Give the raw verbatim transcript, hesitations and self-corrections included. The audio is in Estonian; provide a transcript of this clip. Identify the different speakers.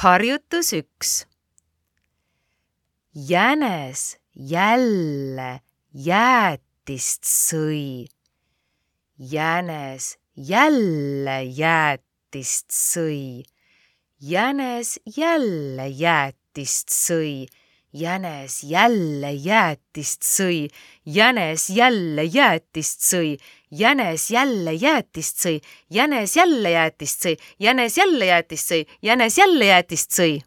Speaker 1: Harjutus üks. Jänes jälle jäätist sõi. Jänes jälle jäätist sõi. Jänes jälle jäätist sõi. Jänes jälle jäätist sõi. Jänes jälle jäätist sõi. Jänes jälle jäätist sõi. Jänes jälle jäätist sõi. Jänes jälle jäätist sõi. Jänes jälle jäätist sõi.